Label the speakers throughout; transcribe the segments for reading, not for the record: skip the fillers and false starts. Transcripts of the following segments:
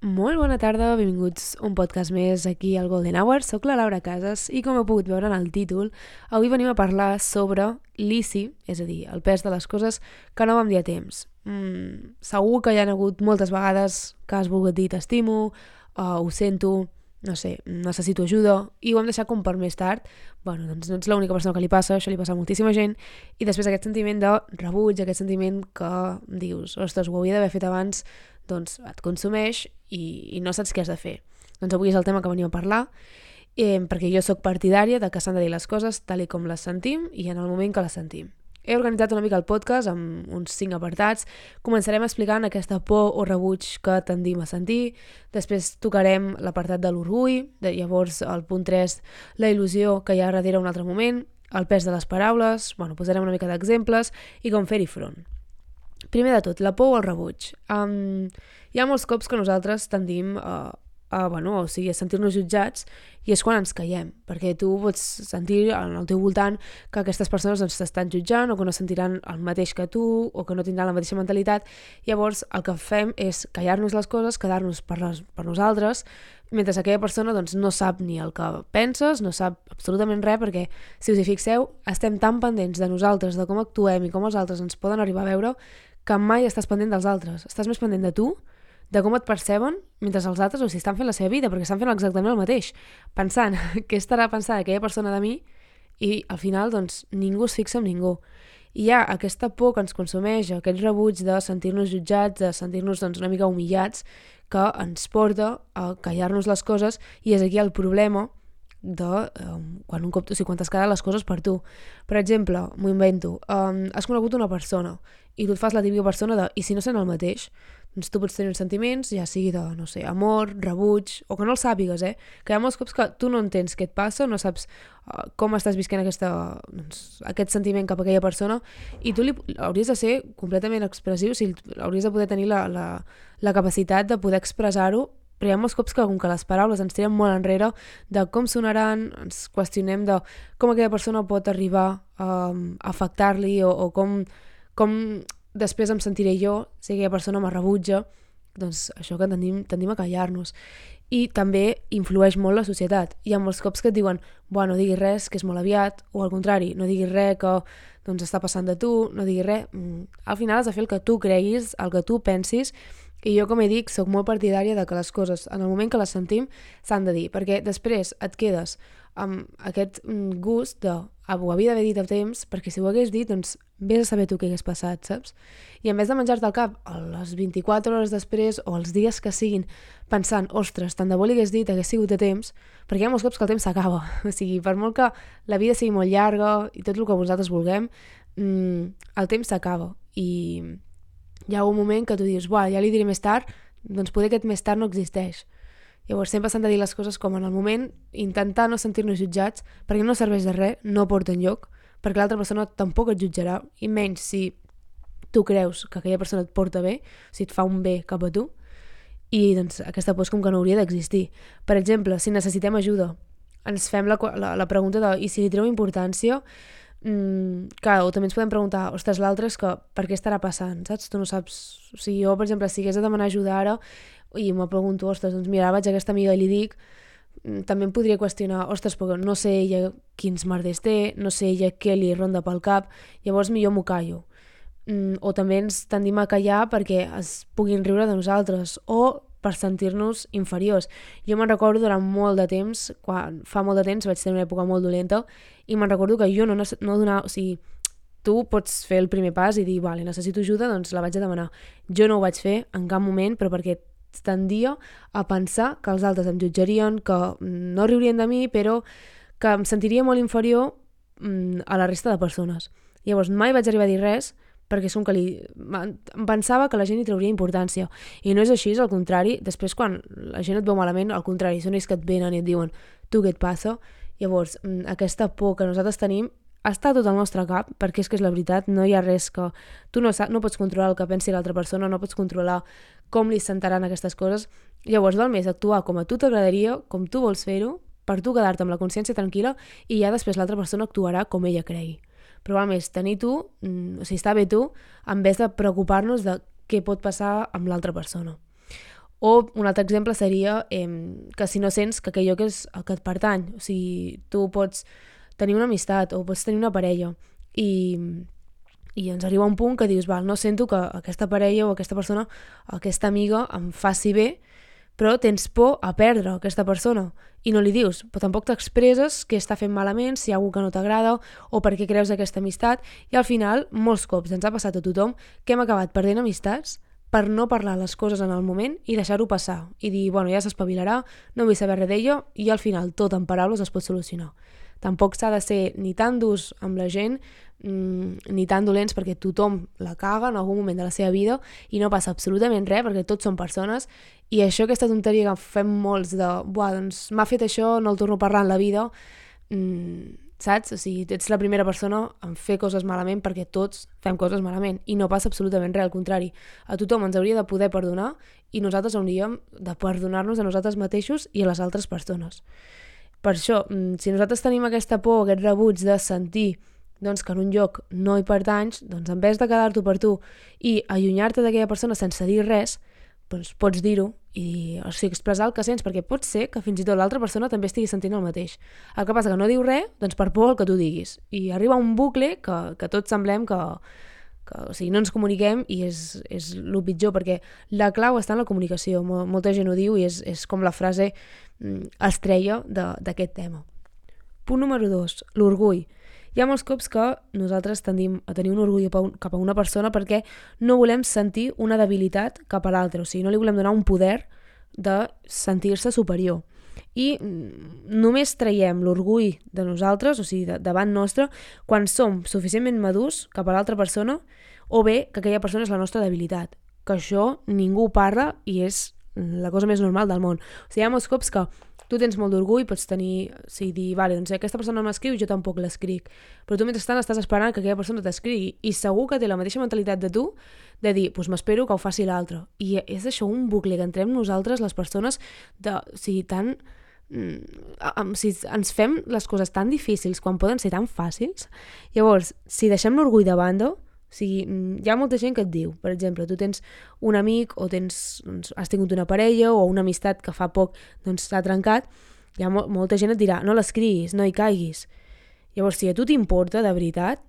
Speaker 1: Molt bona tarda, benvinguts a un podcast més aquí al Golden Hour. Soc la Laura Casas i com heu pogut veure en el títol, avui venim a parlar sobre l'ICI, és a dir, el pes de les coses que no vam dir a temps. Segur que hi ha hagut moltes vegades que has volgut dir t'estimo, ho sento, no sé, necessito ajuda, i ho hem deixat com per més tard. Bueno, doncs no ets l'única persona que li passa, això li passa a moltíssima gent, i després aquest sentiment de rebuig, aquest sentiment que dius, ostres, ho havia d'haver fet abans, doncs et consumeix i no saps què has de fer. Doncs avui és el tema que venim a parlar, perquè jo sóc partidària de que s'han de dir les coses tal i com les sentim i en el moment que les sentim. He organitzat una mica el podcast amb uns 5 apartats. Començarem explicant aquesta por o rebuig que tendim a sentir. Després tocarem l'apartat de l'orgull, llavors el punt 3, la il·lusió que hi ha darrere un altre moment, el pes de les paraules, posarem una mica d'exemples i com fer-hi front. Primer de tot, la por o el rebuig. Hi ha molts cops que nosaltres tendim a sentir-nos jutjats, i és quan ens callem, perquè tu pots sentir al teu voltant que aquestes persones ens t'estan jutjant o que no sentiran el mateix que tu o que no tindran la mateixa mentalitat. Llavors el que fem és callar-nos les coses, quedar-nos per nosaltres, mentre aquella persona no sap ni el que penses, no sap absolutament res, perquè si us hi fixeu, estem tan pendents de nosaltres, de com actuem i com els altres ens poden arribar a veure, que mai estàs pendent dels altres. Estàs més pendent de tu, de com et perceben, mentre els altres estan fent la seva vida, perquè estan fent exactament el mateix, pensant què estarà pensant aquella persona de mi, i al final ningú es fixa en ningú. I hi ha aquesta por que ens consumeix, aquest rebuig de sentir-nos jutjats, de sentir-nos una mica humillats, que ens porta a callar-nos les coses, i és aquí el problema de quan t'has quedat les coses per tu. Per exemple, m'ho invento, has conegut una persona i tu et fas la típica persona de, i si no sent el mateix, doncs tu pots tenir uns sentiments, ja sigui de, no sé, amor, rebuig, o que no el sàpigues, que hi ha molts cops que tu no entens què et passa, no saps com estàs visquent aquest sentiment cap a aquella persona, i tu hauries de ser completament expressiu, hauries de poder tenir la capacitat de poder expressar-ho, però hi ha molts cops que com que les paraules ens tiren molt enrere de com sonaran, ens qüestionem de com aquella persona pot arribar a afectar-li o com després em sentiré jo si aquella persona me rebutja. Doncs això que tendim a callar-nos. I també influeix molt la societat. Hi ha molts cops que et diuen no diguis res, que és molt aviat, o al contrari, no diguis res que està passant de tu, no diguis res. Al final has de fer el que tu creguis, el que tu pensis, i jo, com he dit, soc molt partidària de que les coses, en el moment que les sentim, s'han de dir, perquè després et quedes amb aquest gust de ho havia d'haver dit a temps, perquè si ho hagués dit, vés a saber tu què hagués passat, saps? I en vez de menjar-te al cap a les 24 hores després o els dies que siguin pensant, ostres, tant de bo li hagués dit, hagués sigut a temps, perquè hi ha molts cops que el temps s'acaba. O sigui, per molt que la vida sigui molt llarga i tot el que vosaltres vulguem, el temps s'acaba. I hi ha un moment que tu dius, ja li diré més tard, doncs poder aquest més tard no existeix. Llavors sempre s'han de dir les coses com en el moment, intentar no sentir-nos jutjats, perquè no serveix de res, no porta enlloc, perquè l'altra persona tampoc et jutjarà, i menys si tu creus que aquella persona et porta bé, si et fa un bé cap a tu, i aquesta por com que no hauria d'existir. Per exemple, si necessitem ajuda, ens fem la pregunta de, i si li treu importància, o també ens podem preguntar, ostres, l'altre és que per què estarà passant, saps? Tu no saps, o sigui, jo, per exemple, si hagués de demanar ajuda ara i me pregunto, ostres, mira, vaig a aquesta amiga i li dic, també em podria qüestionar, ostres, perquè no sé ella quins merders té, no sé ella què li ronda pel cap, llavors millor m'ho callo. O també ens tendim a callar perquè es puguin riure de nosaltres, o per sentir-nos inferiors. Jo me'n recordo durant molt de temps, fa molt de temps vaig tenir una època molt dolenta, i me'n recordo que jo no donava, o sigui, tu pots fer el primer pas i dir, vale, necessito ajuda, doncs la vaig a demanar. Jo no ho vaig fer en cap moment, però perquè tendia a pensar que els altres em jutjarien, que no riurien de mi, però que em sentiria molt inferior a la resta de persones. Llavors mai vaig arribar a dir res, perquè em pensava que la gent hi trauria importància, i no és així, és al contrari. Després quan la gent et veu malament, al contrari, són ells que et venen i et diuen tu què et passa. Llavors aquesta por que nosaltres tenim està tot al nostre cap, perquè és que és la veritat, no hi ha res que tu no pots controlar el que pensi l'altra persona, no pots controlar com li sentaran aquestes coses. Llavors val més actuar com a tu t'agradaria, com tu vols fer-ho, per tu quedar-te amb la consciència tranquil·la, i ja després l'altra persona actuarà com ella cregui. Però val més tenir tu, o sigui, estar bé tu, en vez de preocupar-nos de què pot passar amb l'altra persona. O un altre exemple seria que si no sents que aquell lloc és el que et pertany, o sigui, tu pots tenir una amistat o pots tenir una parella i ens arriba un punt que dius, val, no sento que aquesta parella o aquesta persona, aquesta amiga em faci bé, però tens por a perdre aquesta persona i no li dius, però tampoc t'expresses què està fent malament, si hi ha algú que no t'agrada o per què creus aquesta amistat, i al final, molts cops ens ha passat a tothom que hem acabat perdent amistats per no parlar les coses en el moment i deixar-ho passar i dir, bueno, ja s'espavilarà, no vull saber res d'ella, i al final tot en paraules es pot solucionar. Tampoc s'ha de ser ni tan durs amb la gent ni tan dolents, perquè tothom la caga en algun moment de la seva vida i no passa absolutament res perquè tots són persones, i això, aquesta tonteria que fem molts de buah, doncs m'ha fet això, no el torno a parlar en la vida, saps? O sigui, ets la primera persona en fer coses malament, perquè tots fem coses malament i no passa absolutament res, al contrari, a tothom ens hauria de poder perdonar i nosaltres hauríem de perdonar-nos a nosaltres mateixos i a les altres persones. Per això, si nosaltres tenim aquesta por, aquest rebuig de sentir doncs, que en un lloc no hi pertanys, doncs en vez de quedar-t'ho per tu i allunyar-te d'aquella persona sense dir res, doncs pots dir-ho i o sigui, expressar el que sents, perquè pot ser que fins i tot l'altra persona també estigui sentint el mateix. El que passa que no diu res, doncs per por el que tu diguis. I arriba un bucle que tots semblem que o sigui, no ens comuniquem, i és el pitjor, perquè la clau està en la comunicació. Molta gent ho diu i és com la frase estrella d'aquest tema. Punt número 2, l'orgull. Hi ha molts cops que nosaltres tendim a tenir un orgull cap a una persona perquè no volem sentir una debilitat cap a l'altre, o sigui, no li volem donar un poder de sentir-se superior. I només traiem l'orgull de nosaltres, o sigui, davant nostre, quan som suficientment madurs cap a l'altra persona, o bé que aquella persona és la nostra debilitat, que això ningú parla i és la cosa més normal del món. O sigui, hi ha molts cops que tu tens molt d'orgull, pots tenir, o sigui, dir, vale, doncs aquesta persona no m'escriu, jo tampoc l'escric, però tu mentrestant estàs esperant que aquella persona t'escrigui, i segur que té la mateixa mentalitat de tu, de dir, doncs m'espero que ho faci l'altre. I és això un bucle que entrem nosaltres, les persones, o sigui, tan... si ens fem les coses tan difícils quan poden ser tan fàcils. Llavors, si deixem l'orgull de banda, o sigui, hi ha molta gent que et diu, per exemple, tu tens un amic o has tingut una parella o una amistat que fa poc s'ha trencat, hi ha molta gent et dirà, no l'escriguis, no hi caiguis. Llavors, si a tu t'importa de veritat,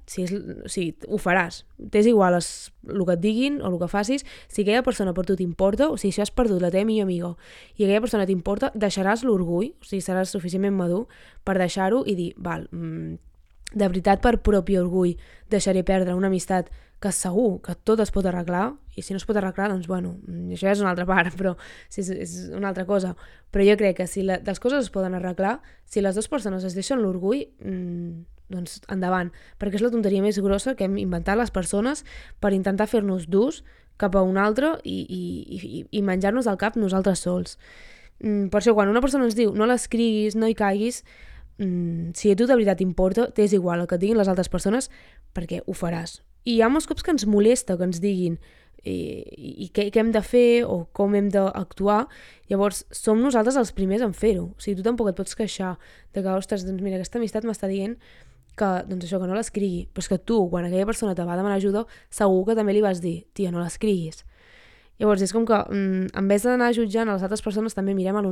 Speaker 1: ho faràs. T'és igual el que et diguin o el que facis. Si aquella persona per tu t'importa, o sigui, si has perdut la teva millor amiga i aquella persona t'importa, deixaràs l'orgull, o sigui, seràs suficientment madur per deixar-ho i dir, val, de veritat per propi orgull deixaré perdre una amistat que segur que tot es pot arreglar, i si no es pot arreglar, doncs bueno, això és una altra part, però és una altra cosa. Però jo crec que si les coses es poden arreglar, si les dues persones es deixen l'orgull, doncs endavant, perquè és la tonteria més grossa que hem inventat les persones per intentar fer-nos durs cap a un altre i menjar-nos al cap nosaltres sols. Per això, quan una persona ens diu no l'escriguis, no hi caiguis, si a tu de veritat t'importa, t'és igual el que et diguin les altres persones, perquè ho faràs. I hi ha molts cops que ens molesta que ens diguin i què hem de fer o com hem d'actuar. Llavors som nosaltres els primers en fer-ho. O sigui, tu tampoc et pots queixar de que, ostres, doncs mira, aquesta amistat m'està dient que, doncs això, que no l'escrigui, però és que tu, quan aquella persona te va demanar ajuda, segur que també li vas dir, tia, no l'escriguis. Llavors és com que en vez d'anar jutjant a les altres persones, també mirem el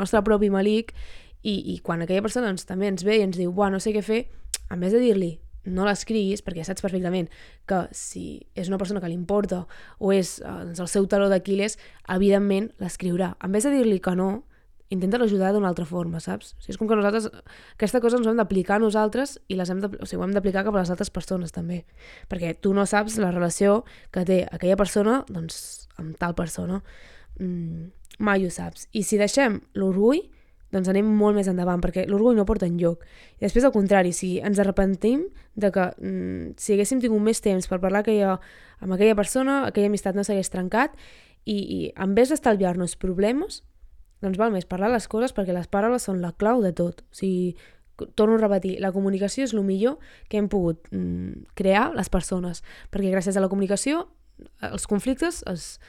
Speaker 1: nostre propi malic, i quan aquella persona també ens ve i ens diu, no sé què fer, en vez de dir-li no l'escriguis, perquè saps perfectament que si és una persona que li importa o és el seu taló d'Aquil·les, evidentment l'escriurà. En vez de dir-li que no, intenta ajudar d'una altra forma, saps? O sigui, és com que nosaltres aquesta cosa ens ho hem d'aplicar a nosaltres i ho hem d'aplicar cap a les altres persones també, perquè tu no saps la relació que té aquella persona amb tal persona, mai ho saps. I si deixem l'orgull, doncs anem molt més endavant, perquè l'orgull no porta enlloc. I després, al contrari, si ens arrepentim de que si haguéssim tingut més temps per parlar amb aquella persona, aquella amistat no s'hagués trencat, i en vez d'estalviar-nos problemes, doncs val més parlar les coses, perquè les paraules són la clau de tot. O sigui, torno a repetir, la comunicació és el millor que hem pogut crear les persones, perquè gràcies a la comunicació els conflictes es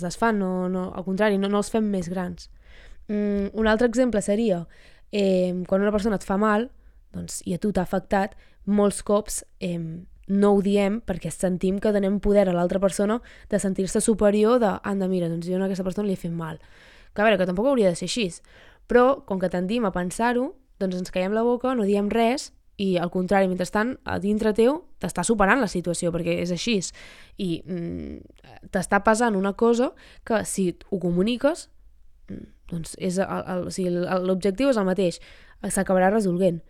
Speaker 1: desfan, al contrari, no els fem més grans. Un altre exemple seria quan una persona et fa mal, doncs, i a tu t'ha afectat, molts cops no ho diem perquè sentim que donem poder a l'altra persona de sentir-se superior de, anda, mira, doncs jo a aquesta persona li he fet mal. Que a veure, que tampoc hauria de ser així. Però, com que tendim a pensar-ho, doncs ens caiem la boca, no diem res, i al contrari, mentrestant, a dintre teu t'està superant la situació, perquè és així. I t'està passant una cosa que si ho comuniques, doncs l'objectiu és el mateix, s'acabarà resolent.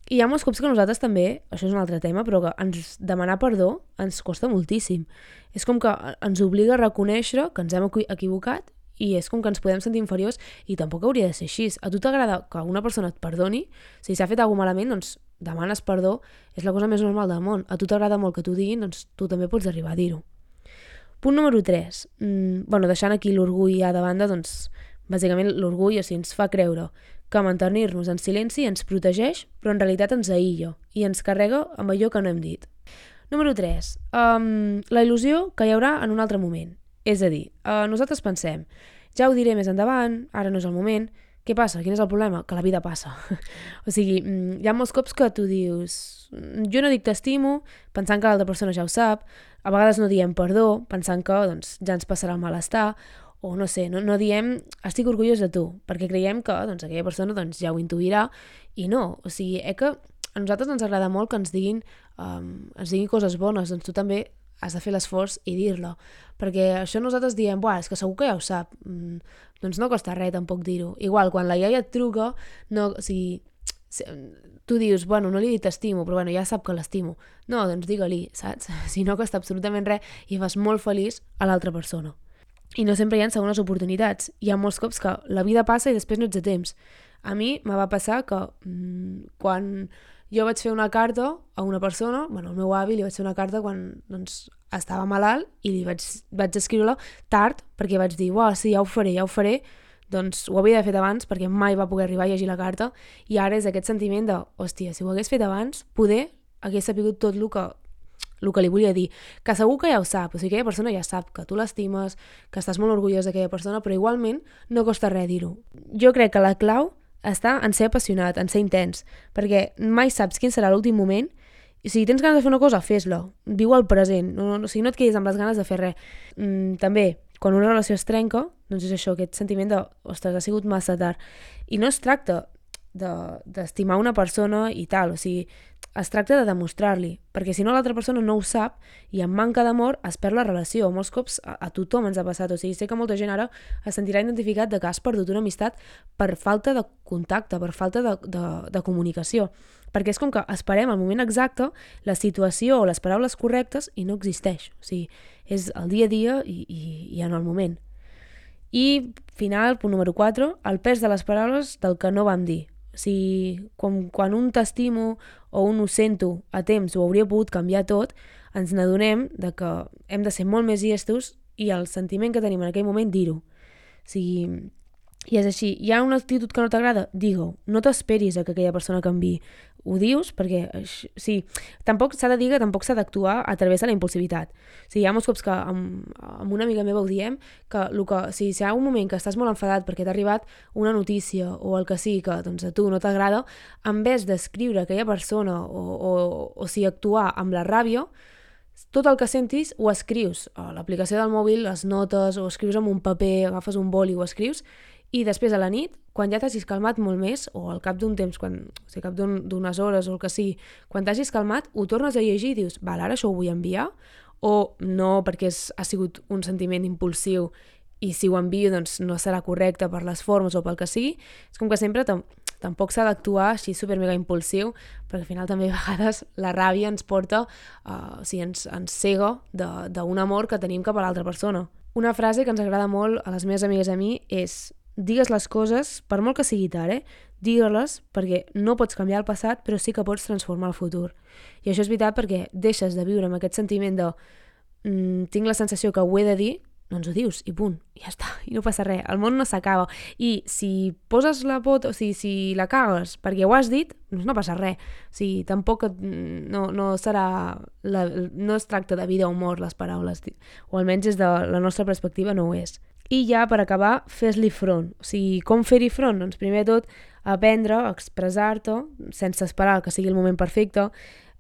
Speaker 1: I hi ha molts cops que nosaltres també, això és un altre tema, però que ens demanar perdó ens costa moltíssim. És com que ens obliga a reconèixer que ens hem equivocat i és com que ens podem sentir inferiors i tampoc hauria de ser així. A tu t'agrada que una persona et perdoni? Si s'ha fet alguna cosa malament, doncs demanes perdó, és la cosa més normal del món. A tu t'agrada molt que t'ho diguin, doncs tu també pots arribar a dir-ho. Punt número 3. Deixant aquí l'orgull ja de banda, doncs bàsicament l'orgull ens fa creure que mantenir-nos en silenci ens protegeix, però en realitat ens aïlla i ens carrega amb allò que no hem dit. Número 3. La il·lusió que hi haurà en un altre moment. És a dir, nosaltres pensem, ja ho diré més endavant, ara no és el moment. Què passa? Quin és el problema? Que la vida passa. O sigui, hi ha molts cops que tu dius, jo no dic t'estimo, pensant que l'altra persona ja ho sap, a vegades no diem perdó, pensant que ja ens passarà el malestar, o no sé, no diem estic orgullós de tu, perquè creiem que aquella persona ja ho intuirà, i no. O sigui, que a nosaltres ens agrada molt que ens diguin coses bones, doncs tu també has de fer l'esforç i dir-la, perquè això nosaltres diem, és que segur que ja ho sap, doncs no costa res tampoc dir-ho. Igual, quan la iaia et truca, tu dius, no li he dit t'estimo, però ja sap que l'estimo. No, doncs digue-li, saps? Si no costa absolutament res i fas molt feliç a l'altra persona. I no sempre hi ha segones oportunitats. Hi ha molts cops que la vida passa i després no ets de temps. A mi me va passar que quan jo vaig fer una carta a una persona, al meu avi li vaig fer una carta quan estava malalt i li vaig escriure-la tard perquè vaig dir, sí, ja ho faré, doncs ho havia fet abans perquè mai va poder arribar a llegir la carta i ara és aquest sentiment de, hòstia, si ho hagués fet abans, poder hagués sabut tot el que li volia dir, que segur que ja ho sap, o sigui, aquella persona ja sap que tu l'estimes, que estàs molt orgullós d'aquella persona, però igualment no costa res dir-ho. Jo crec que la clau està en ser apassionat, en ser intens, perquè mai saps quin serà l'últim moment, i si tens ganes de fer una cosa, fes-la, viu el present, no et quedis amb les ganes de fer res. També, quan una relació es trenca, doncs és això, aquest sentiment de, ostres, ha sigut massa tard, i no es tracta d'estimar una persona i tal, o sigui, es tracta de demostrar-li, perquè si no l'altra persona no ho sap i amb manca d'amor es perd la relació. Molts cops a tothom ens ha passat, o sigui, sé que molta gent ara es sentirà identificat de que has perdut una amistat per falta de contacte, per falta de comunicació, perquè és com que esperem el moment exacte, la situació o les paraules correctes i no existeix, o sigui, és el dia a dia i en el moment. I final, punt número 4, el pes de les paraules del que no vam dir. O sigui, quan un t'estimo o un ho sento a temps ho hauria pogut canviar tot, ens n'adonem de que hem de ser molt més llestos i el sentiment que tenim en aquell moment dir-ho. O sigui, i és així, hi ha una actitud que no t'agrada? Digue-ho, no t'esperis a que aquella persona canviï. Ho dius perquè, tampoc s'ha de dir que tampoc s'ha d'actuar a través de la impulsivitat. O sigui, hi ha molts cops que amb una amiga meva ho diem, que si hi ha un moment que estàs molt enfadat perquè t'ha arribat una notícia o el que sigui que a tu no t'agrada, en vez d'escriure a aquella persona o actuar amb la ràbia, tot el que sentis ho escrius a l'aplicació del mòbil, les notes, o escrius amb un paper, agafes un boli i ho escrius, i després a la nit, quan ja t'hagis calmat molt més, o al cap d'un temps, al cap d'unes hores o el que sigui, quan t'hagis calmat, ho tornes a llegir i dius, ara això ho vull enviar, o no perquè ha sigut un sentiment impulsiu i si ho envio doncs no serà correcte per les formes o pel que sigui. És com que sempre tampoc s'ha d'actuar així supermega impulsiu, perquè al final també a vegades la ràbia ens porta, ens cega d'un amor que tenim cap a l'altra persona. Una frase que ens agrada molt a les meves amigues i a mi és: digues les coses, per molt que sigui tard, digue-les perquè no pots canviar el passat, però sí que pots transformar el futur. I això és veritat perquè deixes de viure amb aquest sentiment de tinc la sensació que ho he de dir, doncs ho dius i punt, i ja està, i no passa res, el món no s'acaba. I si poses la pota, o sigui, si la cagues perquè ho has dit, doncs no passa res. O sigui, tampoc no serà, no es tracta de vida o mort les paraules, o almenys des de la nostra perspectiva no ho és. I ja, per acabar, fes-li front. O sigui, com fer-hi front? Doncs primer de tot, aprendre a expressar-te sense esperar que sigui el moment perfecte,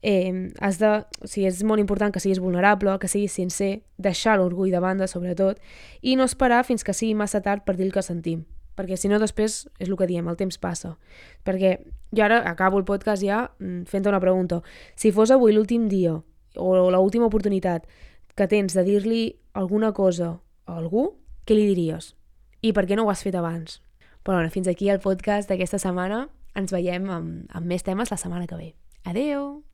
Speaker 1: és molt important que siguis vulnerable, que siguis sincer, deixar l'orgull de banda sobretot, i no esperar fins que sigui massa tard per dir el que sentim, perquè si no després és el que diem, el temps passa. Perquè jo ara acabo el podcast ja fent una pregunta. Si fos avui l'últim dia o l'última oportunitat que tens de dir-li alguna cosa a algú, què li diries? I per què no ho has fet abans? Però bueno, fins aquí el podcast d'aquesta setmana. Ens veiem amb més temes la setmana que ve. Adeu!